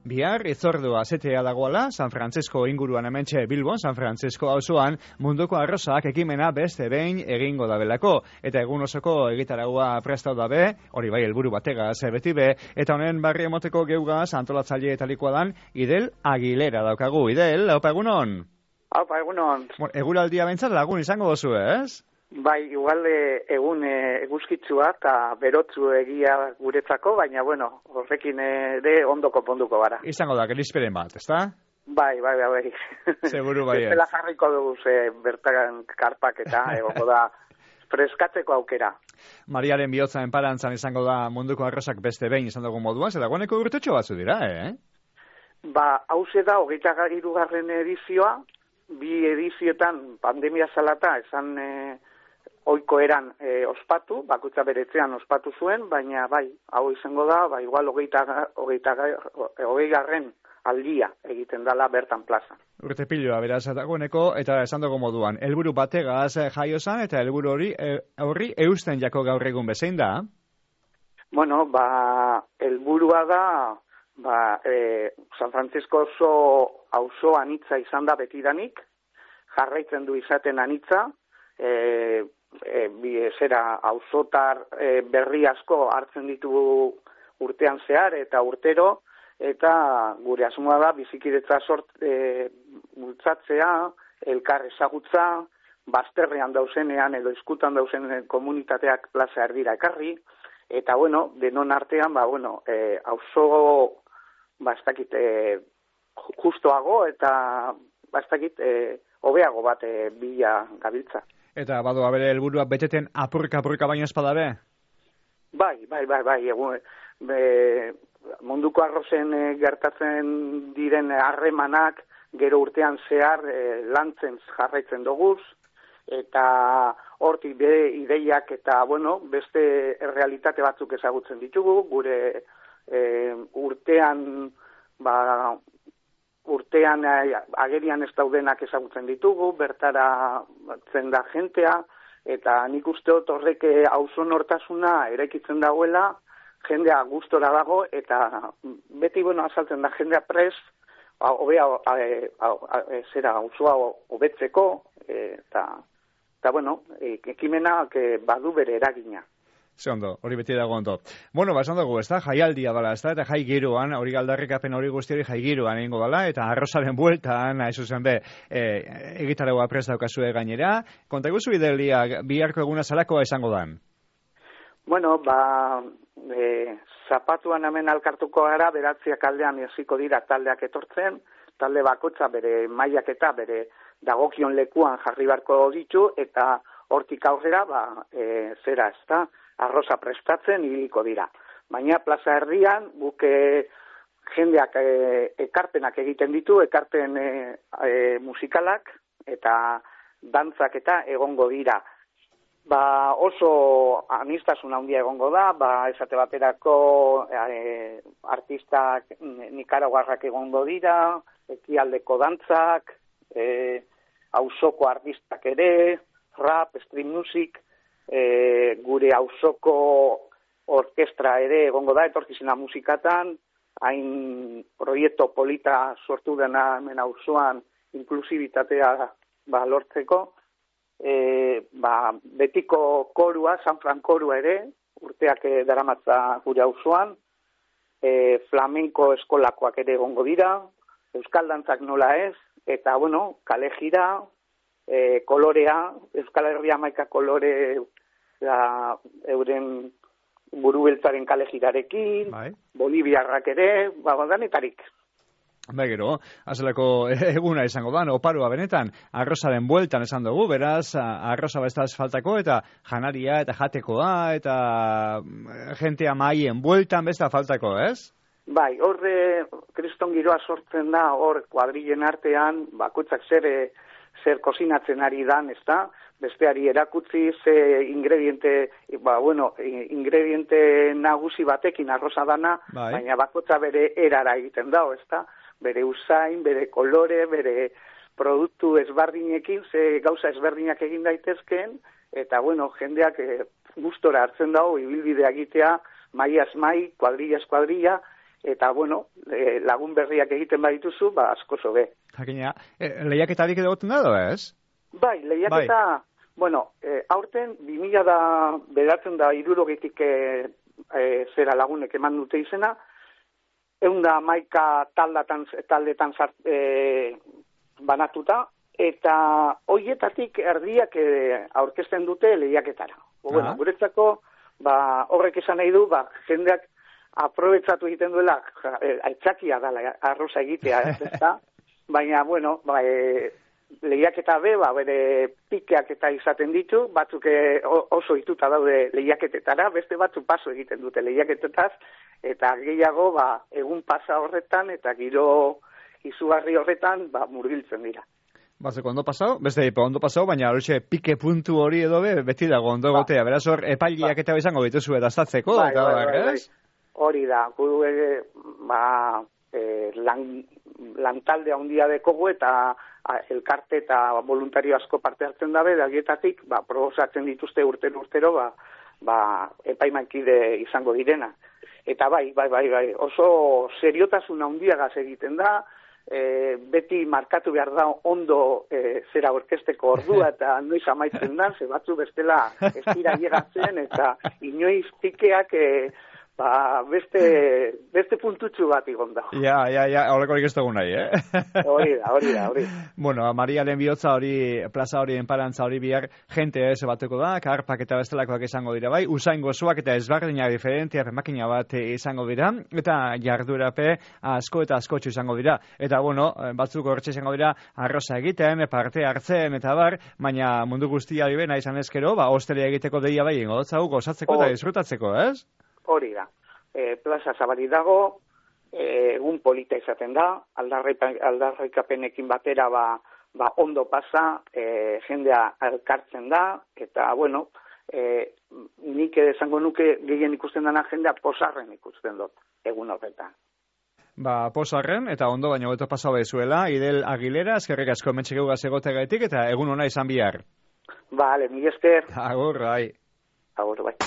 Bihar itzordua zetea dagoela, San Francisco inguruan hementxe Bilbon, San Francisco auzoan munduko arrozak ekimena beste behin egingo dabelako. Eta egun osoko egitaragua prestatu dabe, hori bai helburu bategaz beti be, eta honen barri emoteko geugaz antolatzaile etalikoa dan Idel Aguilera daukagu. Idel, haupa egunon? Haupa egunon. Eguraldia bentsat lagun izango dozu, ez? Bai, igual egun eguzkitzua eta berotzu egia guretzako, baina bueno, horrekin ere ondoko ponduko gara. Izango da, gelisperen bat, ezta? Bai. Seguru bai. Bestela jarriko dugu bertan karpak eta egongo da freskatzeko aukera. Mariaren bihotza enparantzan izango da munduko arrozak beste behin izan dugu moduan, zela guaneko urtetxo batzu dira, Hauze da, 23. edizioa, 2 edizioetan pandemia zalata esan oiko eran ospatu, bakutza beretzean ospatu zuen, baina bai, hau izango da, igual 20. aldia egiten dala bertan plaza. Urte piloa, beraz, dagoeneko, eta esan dugu moduan, helburu bategaz jaiozan, eta helburu horri eusten jako gaur egun bezein da? Bueno, helburua da, San Francisco auzo anitza izan da betidanik, jarraitzen du izaten anitza, auzotar berri asko hartzen ditugu urtean zehar eta urtero, eta gure asmoa da bizikidetza bultzatzea, elkar ezagutza, bazterrean dauzenean edo izkutan dauzen komunitateak plaza erdira ekarri, eta bueno, denon artean, auzo ez dakit justoago eta ez dakit hobeago bat bila gabiltza. Eta badoa bere helburua beteten apurka baino espada be? Bai. Munduko arrozen gertatzen diren harremanak gero urtean zehar lantzen jarraitzen doguz, eta hortik bere ideiak eta beste realitate batzuk ezagutzen ditugu, gure urtean agerian ez daudenak ezagutzen ditugu, bertara zen da jentea, eta nik uste dut horrek auzo nortasuna eraikitzen dagoela, jendea gustora dago, eta beti azaltzen da jendea prest, auzoa hobetzeko, eta ekimenak badu bere eragina. Ze ondo, hori beti dago ondo. Bueno, esan dugu, ez da, jaialdia dala, ez da, eta jai giroan, hori galdarrikapen hori guzti hori jai giroan egingo dala, eta arrozaren bueltan, haizu zen be, egitaragoa prest daukazue gainera. Konta guzu Idelia, biharko eguna zalakoa izango dan? Bueno, zapatuan hemen alkartuko gara, beratziak aldean hasiko dira taldeak etortzen, talde bakotza bere mailak eta bere dagokion lekuan jarri barko ditu, eta hortik aurrera, zera ez da, arroza prestatzen ibiliko dira. Baina plaza erdian, guk jendeak ekarpenak egiten ditu, ekarpen musikalak eta dantzak eta egongo dira. Oso anistasun handia egongo da, esate baterako artistak nikaraguarrak egongo dira, ekialdeko dantzak, auzoko artistak ere, rap, stream music, gure auzoko orkestra ere egongo da, etorkizena musikatan, hain proiektu polita sortu dena hemen auzoan inklusibitatea lortzeko, betiko korua, San Fran korua ere, urteak daramatza gure auzoan, flamenko eskolakoak ere egongo dira, euskal dantzak nola ez, eta kale jira, kolorea, Euskal Herria 11 kolore euren burubeltzaren kale jirarekin, Boliviarrak ere, danetarik. Gero, azelako eguna izango da, oparoa benetan, arrozaren bueltan esan dugu, beraz, arroza bestaz faltako, eta janaria, eta jatekoa, eta jentea maien bueltan besta faltako, ez? Bai, horre kriston giroa sortzen da, hor kuadrilen artean, bakoitzak zer kozinatzen ari dan, ez da? Besteari erakutzi ze ingrediente nagusi batekin arroza dana, baina bakotza bere erara egiten da, ez da? Bere usain, bere kolore, bere produktu ezberdinekin, ze gauza ezberdinak egin daitezkeen, eta jendeak gustora hartzen dago, ibilbidea egitea, maiaz mai, kuadrillaz kuadrilla, eta, bueno, lagun berriak egiten badituzu, ba, asko zobe. Jakina, lehiaketarik edo goten da, ez? Bai, lehiaketa, bueno, aurten 2009 zera lagunek eman dute izena, 111 taldetan banatuta, eta hoietatik erdiak aurkezten dute lehiaketara. Bueno, guretzako, ba, horrek esan nahi du, ba, jendeak aprobetsatu egiten duela, aitzakia dela arroza egitea, ezta? Baina, bueno, ba, lehiaketa ba, bere pikeak eta izaten ditu, batzuk oso ituta daude lehiaketetara, beste batzu paso egiten dute lehiaketetaz, eta gehiago, ba, egun pasa horretan, eta giro izugarri horretan, ba, murgiltzen dira. Batzeko ondo pasau, beste ondo pasau, baina horixe pike puntu hori edo beti dago ondo gotea, beraz hor epailiak eta izango dituzu edaztatzeko, ez? Hori da, lantalde handia dekogu eta elkarte eta voluntario asko parte hartzen dabe, dagietatik, ba, proposatzen dituzte urtero, ba, epaimankide izango direna. Eta bai, oso seriotasun handiagaz egiten da, beti markatu behar da ondo zera orkesteko ordua eta noiz amaitzen da, ze batzu bestela ez dira llegatzen eta inoiz pikeak beste puntutxu bat igon da. Ja, horrekorik ez dugu nahi, Hori da. Bueno, Marialen bihotza hori, plaza hori, enparantza hori bihar, jente ez bateko da, karpak eta bestelakoak izango dira bai, usain gozoak eta ezberdinak diferentia, makina bat izango dira, eta jardurape asko eta askotxu izango dira. Eta, bueno, batzuk horretxe izango dira, arroza egiten, parte hartzen, eta bar, baina mundu guztia hori bena izan ezkero, ba, hostelea egiteko deia bai, ingotzau, gozatzeko eta disfrutatzeko, ez? Hori da. Plaza zabari dago, egun polita izaten da, aldarrikapenekin batera ba ondo pasa, jendea elkartzen da, eta, bueno, nik esango nuke gehien ikusten dena jendea posarren ikusten dut, egun horretan. Ba, posarren, eta ondo baino beto pasau bezuela, Idel Aguilera, eskerrik asko mentxegeuga egotegaitik, eta egun ona izan bihar. Vale, mi esker. Agur, bai. Agur, bai.